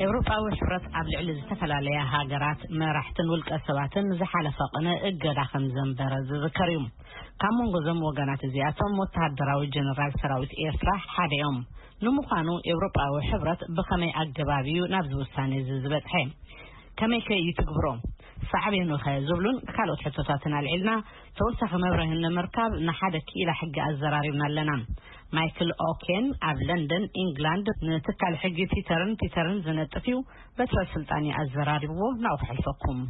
ኤውሮጳዊ ሕብረት ኣብ ልዕሊ ዝተፈላለያ ሃገራት መራሕትን ውልቀ ሰባትን ዝሓለፈ ቅነ እገዳ ከም ዘንበረ ዝዝከር እዩ። ካብ መንጎ እዞም ወገናት እዚኣቶም ወተሃደራዊ ጀነራል ሰራዊት ኤርትራ ሓደ እዮም። ንምዃኑ ኤውሮጳዊ ሕብረት ብኸመይ ኣገባብ እዩ ናብዚ ውሳኔ እዚ ዝበጽሐ? ከመይ ከ እዩ ትግብሮ? ሳዕቤኑ ኸ ዝብሉን ካልኦት ሕቶታትን ኣልዒልና ተወሳኺ መብርሂ ንምርካብ ንሓደ ክኢላ ሕጊ ኣዘራሪብና ኣለና። ማይክል ኦኬን ኣብ ለንደን ኢንግላንድ ንትካል ሕጊ ፒተርን ፒተርን ዝነጥፍ እዩ። በትረ ስልጣን ኣዘራሪብዎ ናብኡ ክሕልፈኩም።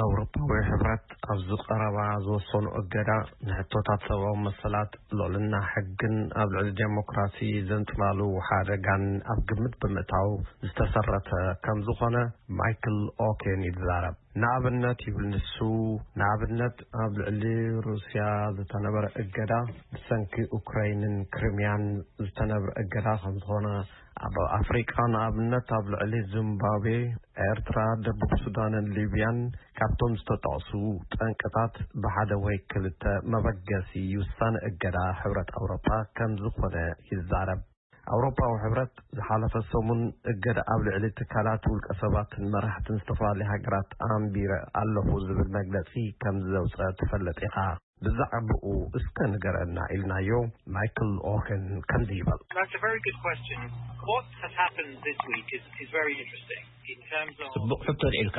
ኣውሮፓዊ ሕብረት ኣብዚ ቀረባ ዝወሰኑ እገዳ ንሕቶታት ሰብኣዊ መሰላት፣ ልዕልና ሕግን ኣብ ልዕሊ ዴሞክራሲ ዘንጽላሉ ሓደጋን ኣብ ግምት ብምእታው ዝተሰረተ ከም ዝኾነ ማይክል ኦኬን ይዛረብ። ንኣብነት ይብል ንሱ፣ ንኣብነት ኣብ ልዕሊ ሩስያ ዝተነበረ እገዳ ብሰንኪ ኡክራይንን ክሪምያን ዝተነብረ እገዳ ከም ዝኾነ፣ ኣብ ኣፍሪቃ ንኣብነት ኣብ ልዕሊ ዚምባብዌ፣ ኤርትራ፣ ደቡብ ሱዳንን ሊብያን ካብቶም ዝተጠቕሱ ጠንቅታት ብሓደ ወይ ክልተ መበገሲ ውሳነ እገዳ ሕብረት ኣውሮፓ ከም ዝኾነ ይዛረብ። ኣውሮፓዊ ሕብረት ዝሓለፈ ሰሙን እገዳ ኣብ ልዕሊ ትካላት ውልቀ ሰባትን መራሕትን ዝተፈላለዩ ሃገራት ኣንቢረ ኣለኹ ዝብል መግለጺ ከም ዘውጸ ትፈልጥ ኢኻ። ብዛዕባኡ እስከ ንገረና ኢልናዮ። ማይክል ኦኸን ከምዚ ይብል። That's a very good question. What has happened this week is, is very interesting in terms of ጽቡቕ ሕቶ ኣልዒልካ።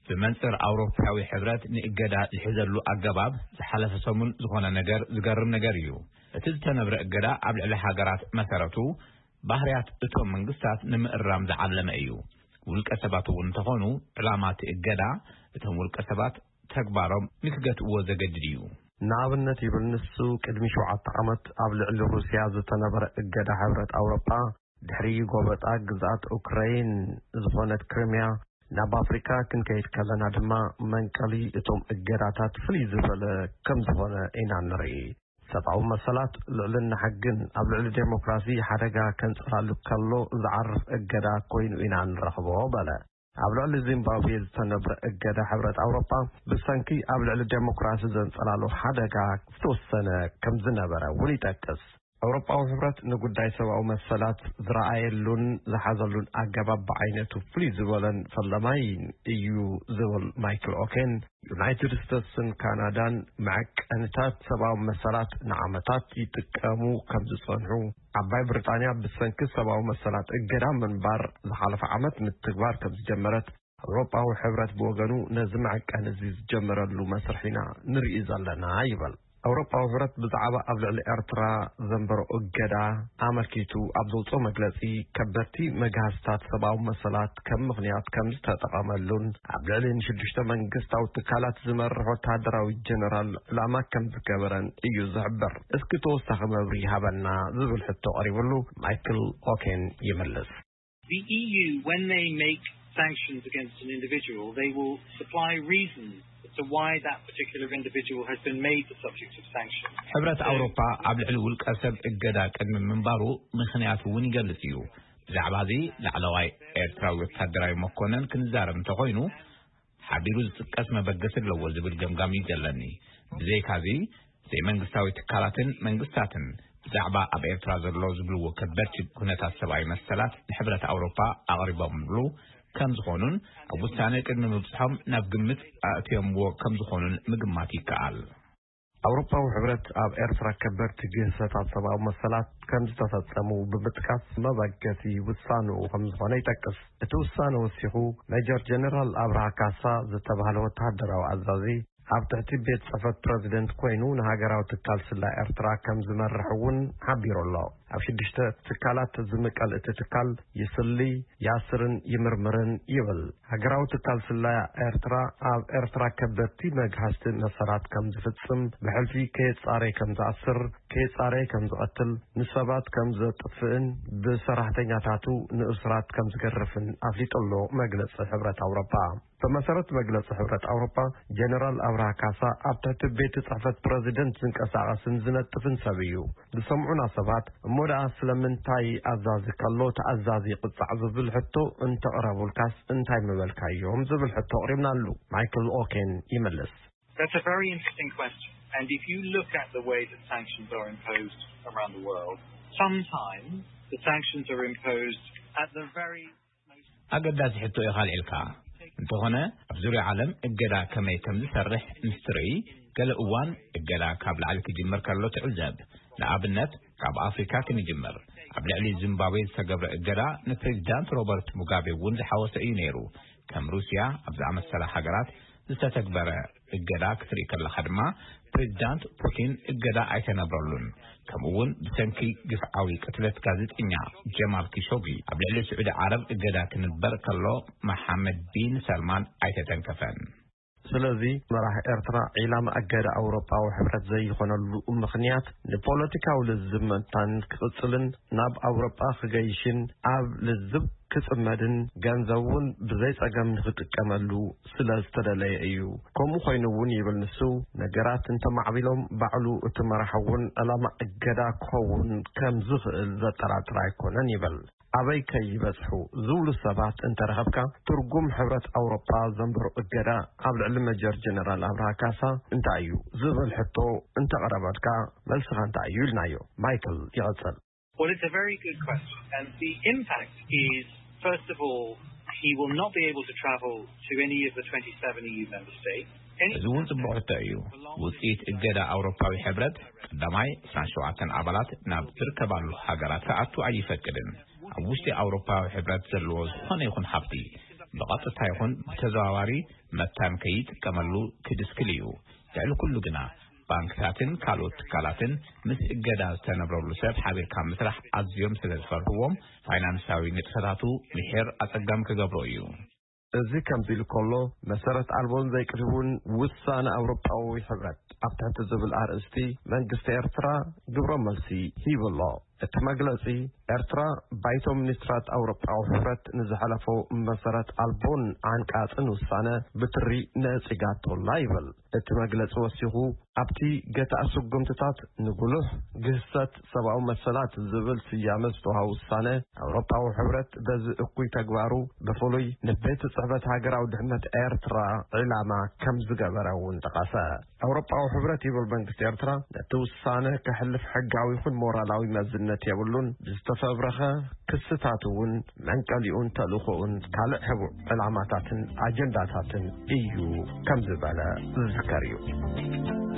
ብመንጽር ኣውሮፓዊ ሕብረት ንእገዳ ዝሕዘሉ ኣገባብ ዝሓለፈ ሰሙን ዝኾነ ነገር ዝገርም ነገር እዩ። እቲ ዝተነብረ እገዳ ኣብ ልዕሊ ሃገራት መሰረቱ ባህርያት እቶም መንግስታት ንምእራም ዝዓለመ እዩ። ውልቀ ሰባት እውን እንተኾኑ ዕላማ እቲ እገዳ እቶም ውልቀ ሰባት ተግባሮም ንክገትእዎ ዘገድድ እዩ። ንኣብነት ይብል ንሱ፣ ቅድሚ ሸውዓተ ዓመት ኣብ ልዕሊ ሩስያ ዝተነበረ እገዳ ሕብረት ኣውሮፓ ድሕሪ ጎበጣ ግዝኣት ኡክራይን ዝኾነት ክሪምያ ናብ ኣፍሪካ ክንከይድ ከለና ድማ መንቀሊ እቶም እገዳታት ፍልይ ዝበለ ከም ዝኾነ ኢና ንርኢ። ሰብኣዊ መሰላት፣ ልዕልና ሕግን ኣብ ልዕሊ ዴሞክራሲ ሓደጋ ከንጽላሉ ከሎ ዝዓርፍ እገዳ ኮይኑ ኢና ንረኽቦ በለ። ኣብ ልዕሊ ዚምባብዌ ዝተነብረ እገዳ ሕብረት ኣውሮፓ ብሰንኪ ኣብ ልዕሊ ዴሞክራሲ ዘንጸላሉ ሓደጋ ዝተወሰነ ከም ዝነበረ እውን ይጠቅስ። ኣውሮፓዊ ሕብረት ንጉዳይ ሰብኣዊ መሰላት ዝረኣየሉን ዝሓዘሉን ኣገባብ ብዓይነቱ ፍልይ ዝበለን ፈለማይ እዩ ዝብል ማይክል ኦኬን፣ ዩናይትድ ስቴትስን ካናዳን መዐቀንታት ሰብኣዊ መሰላት ንዓመታት ይጥቀሙ ከም ዝጸንሑ፣ ዓባይ ብሪጣንያ ብሰንኪ ሰብኣዊ መሰላት እገዳ ምንባር ዝሓለፈ ዓመት ምትግባር ከም ዝጀመረት፣ ኣውሮፓዊ ሕብረት ብወገኑ ነዚ መዐቀኒ እዚ ዝጀመረሉ መስርሕ ኢና ንርኢ ዘለና ይብል። ኣውሮፓዊ ሕብረት ብዛዕባ ኣብ ልዕሊ ኤርትራ ዘንበሮ እገዳ ኣመልኪቱ ኣብ ዘውፅኦ መግለፂ፣ ከበድቲ መግሃስታት ሰብኣዊ መሰላት ከም ምኽንያት ከም ዝተጠቐመሉን ኣብ ልዕሊ ንሽዱሽተ መንግስታዊ ትካላት ዝመርሕ ወተሃደራዊ ጀነራል ዕላማ ከም ዝገበረን እዩ ዝሕብር። እስኪ ተወሳኺ መብርሂ ሃበና ዝብል ሕቶ ቀሪብሉ ማይክል ኦኬን ይምልስ። The E U, when they make sanctions against an individual, they will supply reasons as to why that particular individual has been made the subject of sanctions. ሕብረት ኣውሮፓ ኣብ ልዕሊ ውልቀ ሰብ እገዳ ቅድሚ ምንባሩ ምኽንያት እውን ይገልጽ እዩ። ብዛዕባ እዚ ላዕለዋይ ኤርትራዊ ወታደራዊ መኮነን ክንዛረብ እንተኾይኑ፣ ሓቢሩ ዝጥቀስ መበገሲ ኣለዎ ዝብል ገምጋም እዩ ዘለኒ። ብዘይካዚ፣ ዘይመንግስታዊ ትካላትን መንግስታትን ብዛዕባ ኣብ ኤርትራ ዘሎ ዝብልዎ ከበድቲ ኩነታት ሰብኣዊ መሰላት ንሕብረት ኣውሮፓ ኣቕሪቦምሉ ከም ዝኾኑን ኣብ ውሳነ ቅድሚ ምብጽሖም ናብ ግምት ኣእትዮምዎ ከም ዝኾኑን ምግማት ይከኣል። ኣውሮፓዊ ሕብረት ኣብ ኤርትራ ከበድቲ ግህሰታት ሰብኣዊ መሰላት ከም ዝተፈጸሙ ብምጥቃስ መበገሲ ውሳንኡ ከም ዝኾነ ይጠቅስ። እቲ ውሳነ ወሲኹ ሜጀር ጀነራል ኣብርሃ ካሳ ዝተባህለ ወተሃደራዊ ኣዛዚ ኣብ ትሕቲ ቤት ጽሕፈት ፕረዚደንት ኮይኑ ንሃገራዊ ትካል ስለያ ኤርትራ ከም ዝመርሕ እውን ሓቢሩ ኣሎ። ኣብ ሽዱሽተ ትካላት ዝምቀል እቲ ትካል ይስሊ፣ ያስርን ይምርምርን ይብል። ሃገራዊ ትካል ስለያ ኤርትራ ኣብ ኤርትራ ከበድቲ መግሃስቲ መሰላት ከም ዝፍጽም፣ ብሕልፊ ከየጻረየ ከም ዝኣስር፣ ከየጻረየ ከም ዝቐትል፣ ንሰባት ከም ዘጥፍእን ብሰራሕተኛታቱ ንእሱራት ከም ዝገርፍን ኣፍሊጡ ኣሎ መግለጺ ሕብረት ኣውሮፓ። ብመሰረት መግለጺ ሕብረት ኣውሮፓ፣ ጀነራል ኣብርሃ ካሳ ኣብ ትሕቲ ቤት ጽሕፈት ፕረዚደንት ዝንቀሳቐስን ዝነጥፍን ሰብ እዩ። ዝሰምዑና ሰባት፣ እሞ ደኣ ስለምንታይ ኣዛዚ ከሎ ተኣዛዚ ይቕጻዕ ዝብል ሕቶ እንተቕረቡልካስ እንታይ ምበልካዮም ዝብል ሕቶ ኣቕሪብናሉ። ማይክል ኦኬን ይምልስ። That's a very interesting question. And if you look at the way that sanctions are imposed around the world, sometimes the sanctions are imposed at the very most ኣገዳሲ ሕቶ ኢኻ ኣልዒልካ። እንተኾነ፣ ኣብ ዙርያ ዓለም እገዳ ከመይ ከም ዝሰርሕ ምስ ትርኢ፣ ገለ እዋን እገዳ ካብ ላዕሊ ክጅምር ከሎ ትዕዘብ። ንኣብነት፣ ካብ ኣፍሪካ ክንጅምር። ኣብ ልዕሊ ዚምባብዌ ዝተገብረ እገዳ ንፕሬዚዳንት ሮበርት ሙጋቤ እውን ዝሓወሰ እዩ ነይሩ። ከም ሩስያ ኣብ ዝኣመሰላ ሃገራት ዝተተግበረ እገዳ ክትርኢ ከለኻ ድማ፣ ፕሬዚዳንት ፑቲን እገዳ ኣይተነብረሉን። ከምኡ እውን ብሰንኪ ግፍዓዊ ቅትለት ጋዜጠኛ ጀማል ኪሾጊ ኣብ ልዕሊ ስዑዲ ዓረብ እገዳ ክንበር ከሎ፣ መሓመድ ቢን ሰልማን ኣይተተንከፈን። ስለዚ መራሒ ኤርትራ ዒላማ እገዳ ኣውሮጳዊ ሕብረት ዘይኾነሉ ምኽንያት፣ ንፖለቲካዊ ልዝብ ምእንታን ክቕጽልን ናብ ኣውሮጳ ክገይሽን ኣብ ልዝብ ክጽመድን ገንዘብ እውን ብዘይ ጸገም ንኽጥቀመሉ ስለ ዝተደለየ እዩ። ከምኡ ኮይኑ እውን ይብል ንሱ፣ ነገራት እንተማዕቢሎም ባዕሉ እቲ መራሒ እውን ዕላማ እገዳ ክኸውን ከም ዝኽእል ዘጠራጥር ኣይኮነን ይብል። ኣበይ ከይበጽሑ ዝብሉ ሰባት እንተረኸብካ፣ ትርጉም ሕብረት ኣውሮጳ ዘንበሮ እገዳ ኣብ ልዕሊ መጀር ጀነራል ኣብርሃ ካሳ እንታይ እዩ ዝብል ሕቶ እንተቐረበልካ፣ መልስኻ እንታይ እዩ ኢልናዮ። ማይክል ይቐጽል። Well, it's a very good question. And the impact is, first of all, he will not be able to travel to any of the twenty-seven E U member states. እዚ እውን ጽቡቕ ሕቶ እዩ። ውጽኢት እገዳ ኣውሮፓዊ ሕብረት፣ ቀዳማይ፣ ዕስራን ሸውዓተን ኣባላት ናብ ዝርከባሉ ሃገራት ክኣቱ ኣይፈቅድን። ኣብ ውሽጢ ኣውሮፓዊ ሕብረት ዘለዎ ዝኾነ ይኹን ሃብቲ፣ ብቐጥታ ይኹን ብተዘዋዋሪ፣ መታን ከይጥቀመሉ ክድስክል እዩ። ልዕሊ ኩሉ ግና፣ ባንክታትን ካልኦት ትካላትን ምስ እገዳ ዝተነብረሉ ሰብ ሓቢርካ ምስራሕ ኣዝዮም ስለ ዝፈርህዎም፣ ፋይናንሳዊ ንጥፈታቱ ምሒር ኣጸጋሚ ክገብሮ እዩ። እዚ ከምዚ ኢሉ ከሎ፣ መሰረት ኣልቦን ዘይቅድውን ውሳነ ኣውሮጳዊ ሕብረት ኣብ ትሕቲ ዝብል ኣርእስቲ መንግስቲ ኤርትራ ግብረ መልሲ ሂቡ ኣሎ። እቲ መግለጺ፣ ኤርትራ ባይቶ ሚኒስትራት ኣውሮጳዊ ሕብረት ንዝሓለፎ መሰረት ኣልቦን ዓንቃጽን ውሳነ ብትሪ ነጺጋቶላ ይብል። እቲ መግለጺ ወሲኹ፣ ኣብቲ ገታእ ስጉምትታት ንጉሉሕ ግህሰት ሰብኣዊ መሰላት ዝብል ስያመ ዝተዋሃቦ ውሳነ፣ ኣውሮጳዊ ሕብረት በዚ እኩይ ተግባሩ ብፍሉይ ንቤት ጽሕፈት ሃገራዊ ድሕነት ኤርትራ ዒላማ ከም ዝገበረ እውን ጠቐሰ። ኣውሮጳዊ ሕብረት ይብል መንግስቲ ኤርትራ ነቲ ውሳነ ከሕልፍ ሕጋዊ ይኹን ሞራላዊ መዝነት የብሉን፣ ብዝተፈብረኸ ክስታት እውን መንቀሊኡን ተልእኾኡን ካልእ ሕቡእ ዕላማታትን ኣጀንዳታትን እዩ ከም ዝበለ ዝዝከር እዩ።